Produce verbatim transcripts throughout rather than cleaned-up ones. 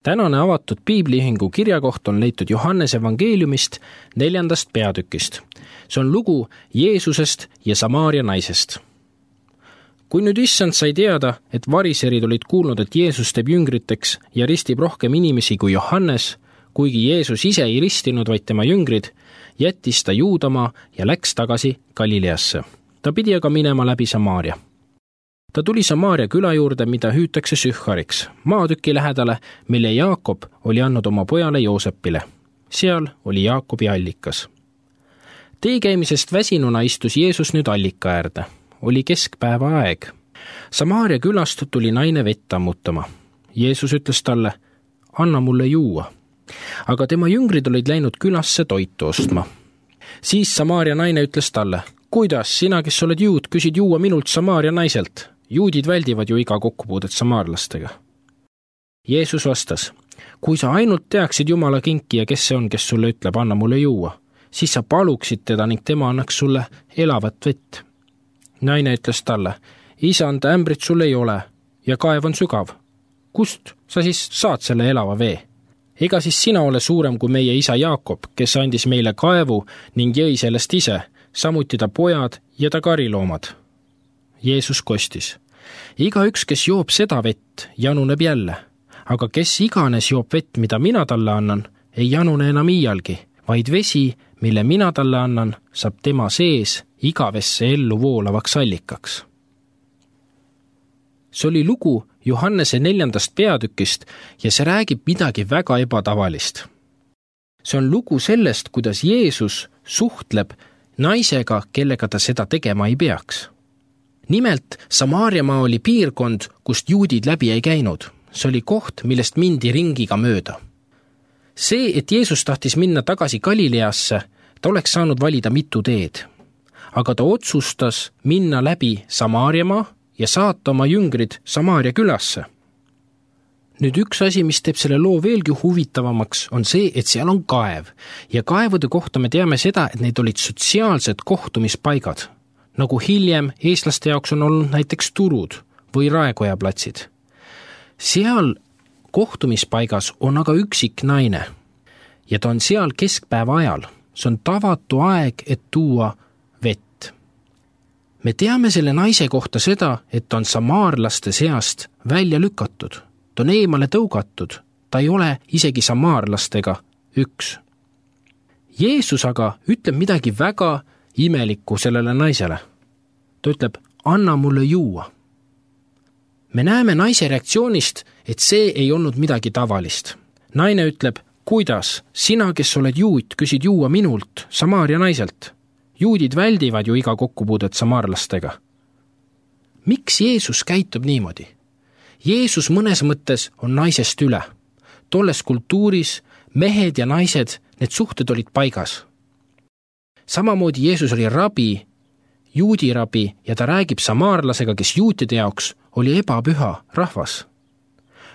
Tänane avatud piibliühingu kirjakoht on leitud Johannese evangeeliumist neljandast peatükist. See on lugu Jeesusest ja Samaaria naisest. Kui nüüd issand sai teada, et variserid olid kuulnud, et Jeesus teeb jüngriteks ja ristib rohkem inimesi kui Johannes, kuigi Jeesus ise ei ristinud, vaid tema jüngrid, jättis ta Juudamaa ja läks tagasi Galileasse. Ta pidi aga minema läbi Samaaria. Ta tuli Samaaria küla juurde, mida hüütakse Sühhariks, maatüki lähedale, mille Jaakob oli andnud oma pojale Joosepile. Seal oli Jaakobi allikas. Tee käimisest väsinuna istus Jeesus nüüd allika äärde. Oli keskpäeva aeg. Samaaria külast tuli naine vett ammutama. Jeesus ütles talle, anna mulle juua. Aga tema jüngrid olid läinud külasse toitu ostma. Siis Samaaria naine ütles talle, kuidas sina, kes oled juud, küsid juua minult Samaaria naiselt? Juudid väldivad ju iga kokkupuudet samaarlastega. Jeesus vastas, kui sa ainult teaksid Jumala kinki ja kes see on, kes sulle ütleb, anna mulle juua, siis sa paluksid teda ning tema annaks sulle elavat vett. Naine ütles talle, isand, ämbrit sul ei ole ja kaev on sügav. Kust sa siis saad selle elava vee? Ega siis sina ole suurem kui meie isa Jaakob, kes andis meile kaevu ning jõi sellest ise, samuti ta pojad ja ta kariloomad. Jeesus kostis, iga üks, kes joob seda vett, januneb jälle, aga kes iganes joob vett, mida mina talle annan, ei janune enam iialgi, vaid vesi, mille mina talle annan, saab tema sees igavesse ellu voolavaks allikaks. See oli lugu Johannese neljandast peatükist ja see räägib midagi väga ebatavalist. See on lugu sellest, kuidas Jeesus suhtleb naisega, kellega ta seda tegema ei peaks. Nimelt, Samaariamaa oli piirkond, kust juudid läbi ei käinud. See oli koht, millest mindi ringiga mööda. See, et Jeesus tahtis minna tagasi Galileasse, ta oleks saanud valida mitu teed. Aga ta otsustas minna läbi Samaariamaa ja saata oma jüngrid Samaaria külasse. Nüüd üks asi, mis teeb selle loo veelgi huvitavamaks, on see, et seal on kaev. Ja kaevude kohta me teame seda, et need olid sotsiaalsed kohtumispaigad, nagu hiljem eestlaste jaoks on olnud näiteks turud või Raekoja platsid. Seal kohtumispaigas on aga üksik naine ja ta on seal keskpäeva ajal. See on tavatu aeg, et tuua vett. Me teame selle naise kohta seda, et ta on samaarlaste seast välja lükatud. Ta on eemale tõugatud. Ta ei ole isegi samaarlastega üks. Jeesus aga ütleb midagi väga imelikku sellele naisele. Ta ütleb, anna mulle juua. Me näeme naise reaktsioonist, et see ei olnud midagi tavalist. Naine ütleb, kuidas sina, kes oled juut, küsid juua minult, Samaaria naiselt? Juudid väldivad ju iga kokkupuudet samaarlastega. Miks Jeesus käitub niimoodi? Jeesus mõnes mõttes on naisest üle. Tolles kultuuris mehed ja naised, need suhted olid paigas. Samamoodi Jeesus oli rabi, juudi rabi ja ta räägib samaarlasega, kes juutide jaoks oli ebapüha rahvas.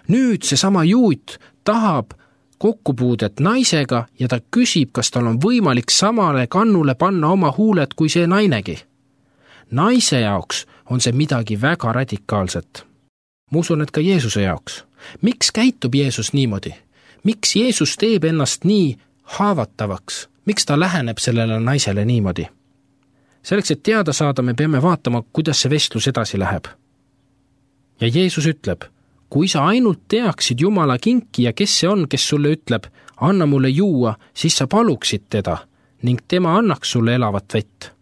Nüüd see sama juut tahab kokkupuudet naisega ja ta küsib, kas tal on võimalik samale kannule panna oma huuled kui see nainegi. Naise jaoks on see midagi väga radikaalset. Ma usun, et ka Jeesuse jaoks. Miks käitub Jeesus niimoodi? Miks Jeesus teeb ennast nii haavatavaks? Miks ta läheneb sellele naisele niimoodi? Selleks, et teada saada, me peame vaatama, kuidas see vestlus edasi läheb. Ja Jeesus ütleb, kui sa ainult teaksid Jumala kinki ja kes see on, kes sulle ütleb, anna mulle juua, siis sa paluksid teda ning tema annaks sulle elavat vett.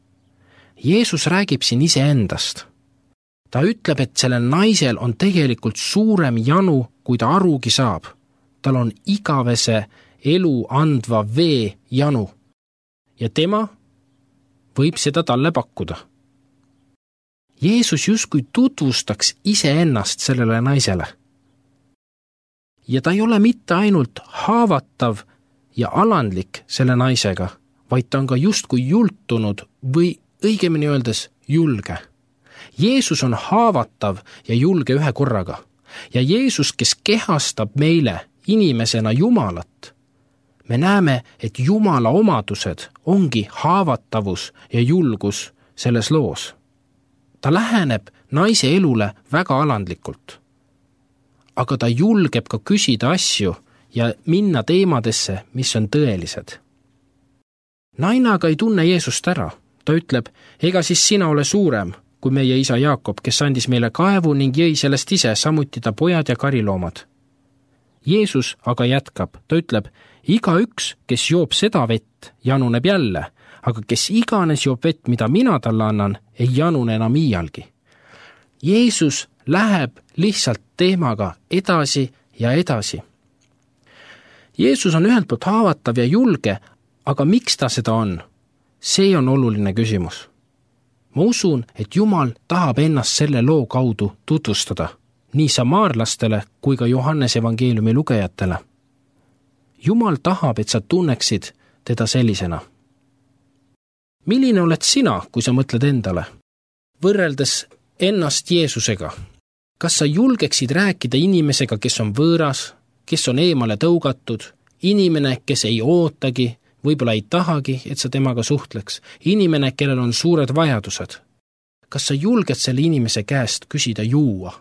Jeesus räägib siin iseendast. Ta ütleb, et sellel naisel on tegelikult suurem janu, kui ta arugi saab. Tal on igavese elu andva vee janu ja tema võib seda talle pakkuda. Jeesus justkui tutvustaks iseennast sellele naisele. Ja ta ei ole mitte ainult haavatav ja alandlik selle naisega, vaid ta on ka justkui jultunud või õigemini öeldes julge. Jeesus on haavatav ja julge ühe korraga. Ja Jeesus, kes kehastab meile inimesena Jumalat, me näeme, et Jumala omadused ongi haavatavus ja julgus selles loos. Ta läheneb naise elule väga alandlikult. aga ta julgeb ka küsida asju ja minna teemadesse, mis on tõelised. Naine aga ei tunne Jeesust ära. Ta ütleb, ega siis sina ole suurem kui meie isa Jaakob, kes andis meile kaevu ning jõi sellest ise, samuti ta pojad ja kariloomad. Jeesus aga jätkab, ta ütleb, iga üks, kes joob seda vett, januneb jälle, aga kes iganes joob vett, mida mina talle annan, ei janune enam iialgi. Jeesus läheb lihtsalt teemaga edasi ja edasi. Jeesus on ühelt poolt haavatav ja julge, aga miks ta seda on? See on oluline küsimus. Ma usun, et Jumal tahab ennast selle loo kaudu tutvustada, nii samaarlastele kui ka Johannese evangeeliumi lugejatele. Jumal tahab, et sa tunneksid teda sellisena. Milline oled sina, kui sa mõtled endale? Võrreldes ennast Jeesusega, kas sa julgeksid rääkida inimesega, kes on võõras, kes on eemale tõugatud, inimene, kes ei ootagi, võib-olla ei tahagi, et sa temaga suhtleks, inimene, kellel on suured vajadused? Kas sa julged selle inimese käest küsida juua,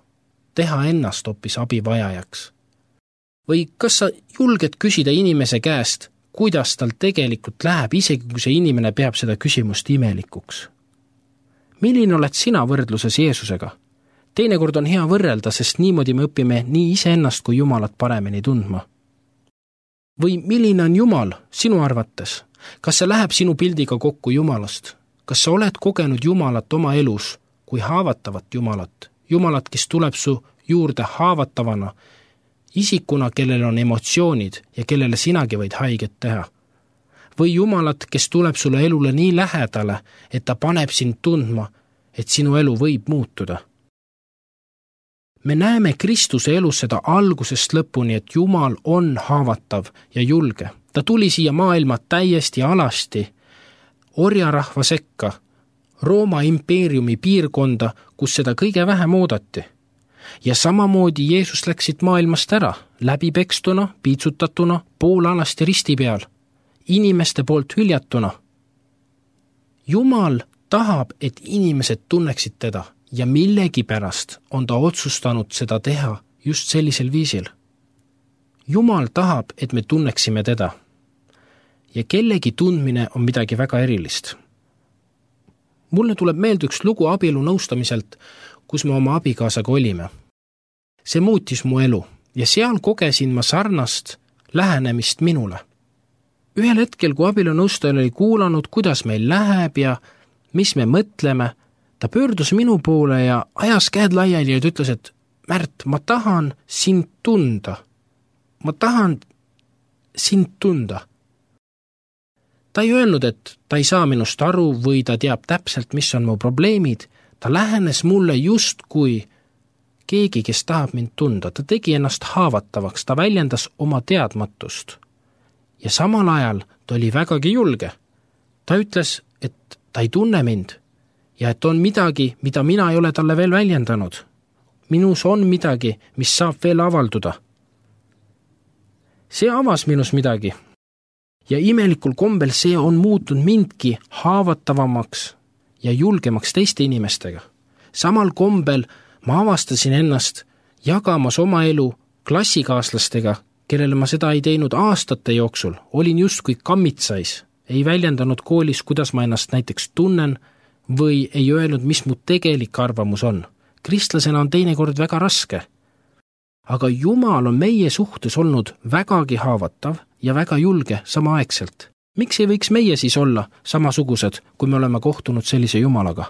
teha ennast hoopis abivajajaks? Või kas sa julged küsida inimese käest, kuidas tal tegelikult läheb, isegi kui see inimene peab seda küsimust imelikuks? Milline oled sina võrdluses Jeesusega? Teinekord on hea võrrelda, sest niimoodi me õpime nii iseennast kui Jumalat paremini tundma. Või milline on Jumal sinu arvates? Kas see läheb sinu pildiga kokku Jumalast? Kas sa oled kogenud Jumalat oma elus kui haavatavat Jumalat? Jumalat, kes tuleb su juurde haavatavana, isikuna, kellel on emotsioonid ja kellele sinagi võid haiget teha. Või Jumalat, kes tuleb sulle elule nii lähedale, et ta paneb sind tundma, et sinu elu võib muutuda. Me näeme Kristuse elus seda algusest lõpuni, et Jumal on haavatav ja julge. Ta tuli siia maailma täiesti alasti, orjarahva sekka, Rooma impeeriumi piirkonda, kus seda kõige vähem oodati. Ja samamoodi Jeesus läksid maailmast ära, läbipekstuna, piitsutatuna, poolalasti risti peal, inimeste poolt hüljatuna. Jumal tahab, et inimesed tunneksid teda ja millegi pärast on ta otsustanud seda teha just sellisel viisil. Jumal tahab, et me tunneksime teda. Ja kellegi tundmine on midagi väga erilist. Mulle tuleb meelde üks lugu abielu nõustamiselt, kus me oma abikaasaga olime. See muutis mu elu ja seal kogesin ma sarnast lähenemist minule. Ühel hetkel, kui abielu nõustaja oli kuulanud, kuidas meil läheb ja mis me mõtleme, ta pöördus minu poole ja ajas käed laiali ja ütles, et Märt, ma tahan sind tunda. Ma tahan sind tunda. Ta ei öelnud, et ta ei saa minust aru või ta teab täpselt, mis on mu probleemid. Ta lähenes mulle just kui keegi, kes tahab mind tunda. Ta tegi ennast haavatavaks, ta väljendas oma teadmatust. Ja samal ajal ta oli vägagi julge. Ta ütles, et ta ei tunne mind ja et on midagi, mida mina ei ole talle veel väljendanud. Minus on midagi, mis saab veel avalduda. See avas minus midagi. Ja imelikul kombel see on muutunud mindki haavatavamaks ja julgemaks teiste inimestega. Samal kombel ma avastasin ennast jagamas oma elu klassikaaslastega, kellele ma seda ei teinud aastate jooksul. Olin justkui kammitsais, ei väljendanud koolis, kuidas ma ennast näiteks tunnen või ei öelnud, mis mu tegelik arvamus on. Kristlasena on teinekord väga raske. Aga Jumal on meie suhtes olnud vägagi haavatav ja väga julge samaaegselt. Miks ei võiks meie siis olla samasugused, kui me oleme kohtunud sellise Jumalaga?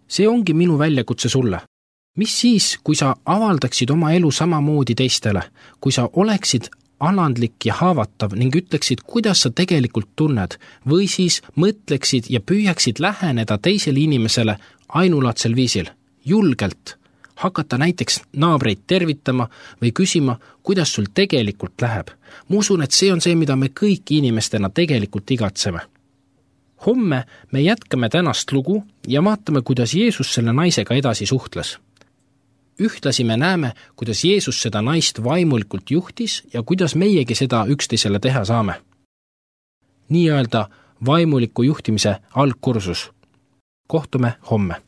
See ongi minu väljakutse sulle. Mis siis, kui sa avaldaksid oma elu samamoodi teistele, kui sa oleksid alandlik ja haavatav ning ütleksid, kuidas sa tegelikult tunned, või siis mõtleksid ja püüaksid läheneda teisele inimesele ainulaadsel viisil, julgelt, hakata näiteks naabreid tervitama või küsima, kuidas sul tegelikult läheb. Ma usun, et see on see, mida me kõik inimestena tegelikult igatseme. Homme me jätkame tänast lugu ja vaatame, kuidas Jeesus selle naisega edasi suhtles. Ühtlasi me näeme, kuidas Jeesus seda naist vaimulikult juhtis ja kuidas meiegi seda üksteisele teha saame. Nii öelda vaimuliku juhtimise algkursus. Kohtume homme.